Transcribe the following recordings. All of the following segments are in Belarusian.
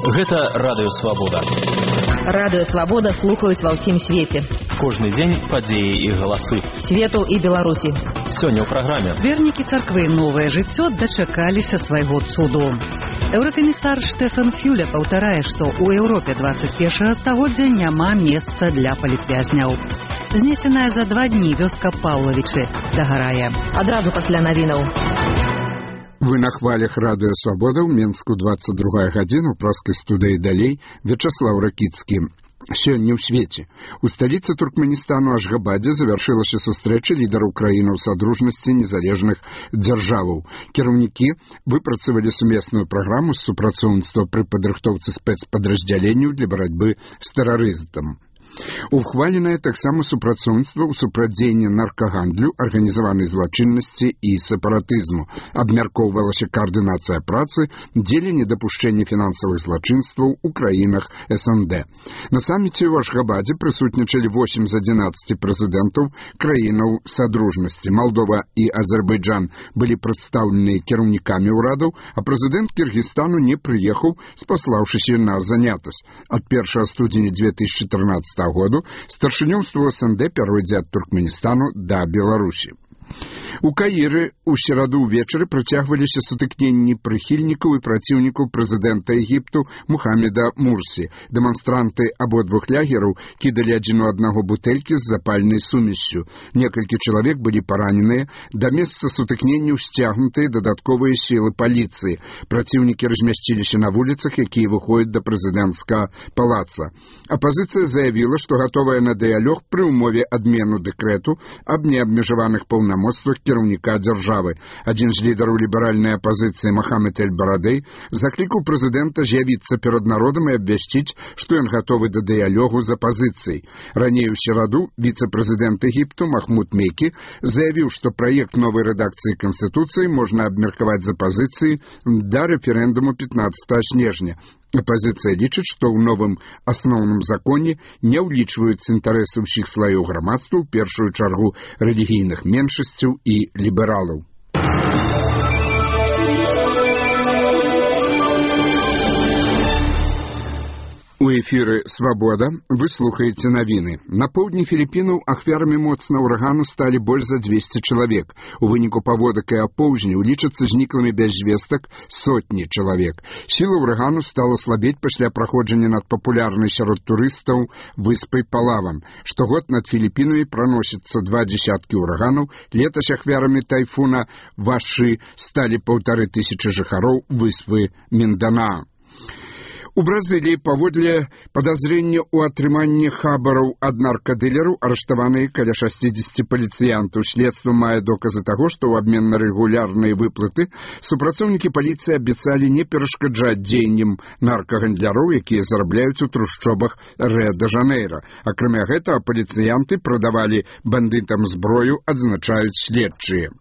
Гэта Радыё Свабода. Радыё Свабода слухаюць ва ўсім свеце. Кожны дзень падзеі і галасы. Свету і Беларусі. Сёння ў праграме. Вернікі царквы «Новае жыццё» дачакаліся свайго цуду. Еўракамісар Штефан Фюле паўтарае, што ў Еўропе 21 стагоддзя няма месца для палітвязняў. Знесеная за 2 дні вёска Паўлавічы дагарае. Адразу пасля навінаў. Вы на хвалях Радыё Свабода ў Менску 22 гадзіна ў праскай студыі далей Вячаслаў Ракіцкі. Сёння ў свеце. У сталіцы Туркменістану Ашгабадзе завяршылася сустрэча лідараў краінаў Садружнасці незалежных дзяржаваў. Кіраўнікі выпрацавалі сумесную праграму з супрацоўніцтва пры падрыхтоўцы спецпадраздзяленняў для барацьбы з тэрарызмам. Ухваленае таксама супрацоўніцтва ў супрацьдзеянні наркагандлю, арганізаванай злачыннасці і сепаратызму. Абмяркоўвалася каардынацыя працы дзеля недапушчэння фінансавых злачынстваў у краінах СНД. На саміце ў Ашгабадзе прысутнічалі 8 з 11 прэзідэнтаў краінаў Садружнасці. Малдова і Азербайджан былі прадстаўленыя кіраўнікамі ўрадаў, а прэзідэнт Кіргізстану не прыехаў, спаслаўшыся на занятасць. Ад 1 студзеня 2014 году старшынёўства СНД пяройдзе ад Туркменістану да Беларусі. У Каіры ў сераду ўвечары працягваліся сутыкненні прыхільнікаў і праціўнікаў прэзідэнта Егіпту Мухаммеда Мурсі. Дэманстранты абодвух лагераў кідалі адзін у аднаго бутэлькі з запальнай сумессю. Некалькі чалавек былі параненыя, да месца сутыкненняў сцягнутыя дадатковыя сілы паліцыі. Праціўнікі размясціліся на вуліцах, якія выходзяць да прэзідэнцкага палаца. Апазіцыя заявіла, што гатовая на дыялог пры ўмове адмену дэкрэту аб неабмежаваных паўнамоцтвах кіраўніка дзяржавы. Адзін з лідараў ліберальнай апазіцыі Мохаммед эль-Барадэй заклікаў прэзідэнта з'явіцца перад народам і абвясціць, што ён гатовы да дыялогу з апазіцыяй. Раней у сераду віцэ-прэзідэнт Егіпту Махмуд Мекі заявіў, што праект новай рэдакцыі Канстытуцыі можна абмеркаваць з апазіцыяй да рэферэндуму 15 снежня. Апазіцыя лічыць, што ў новым асноўным законе не ўлічваюцца інтарэсы ўсіх слаёў грамадства, у першую чаргу рэлігійных меншасцяў і лібералаў. У эфіры «Свабода» вы слухаеце навіны. На поўдні Філіппінаў ахвярамі моцнага ўрагану сталі больш за 200 чалавек. У выніку паводак і апоўзняў лічацца зніклымі без звестак сотні чалавек. Сіла ўрагану стала слабець пасля праходжання над папулярнай сярод турыстаў выспай Палаван. Штогод над Філіппінамі праносіцца 2 дзесяткі ўраганаў. Летась ахвярамі тайфуна Вашы сталі 1500 жыхароў выспы Мінданаа. У Бразыліі паводле падазрення ў атрыманні хабараў ад наркадылераў арыштаваныя каля 60 паліцыянтаў. Следства мае доказы таго, што ў абмен на рэгулярныя выплаты супрацоўнікі паліцыі абяцалі не перашкаджаць дзеянням наркагандляроў, якія зарабляюць у трушчобах Рыа-дэ-Жанейра. Акрамя гэтага, паліцыянты прадавалі бандытам зброю, адзначаюць следчыя.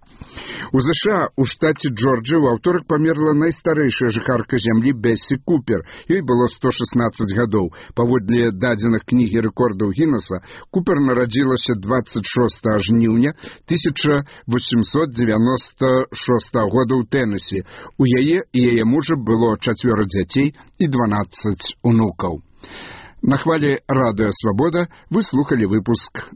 У ЗША у штаце Джорджыя ў аўторак памерла найстарэйшая жыхарка зямлі Бессі Купер. Ёй было 116 гадоў. Паводле дадзеных кнігі рэкордаў Гіннеса, Купер нарадзілася 26 жніўня 1896 года ў Тэнесі. У яе і яе мужа было 4 дзяцей і 12 унукаў. На хвале Радыё Свабода вы слухалі выпуск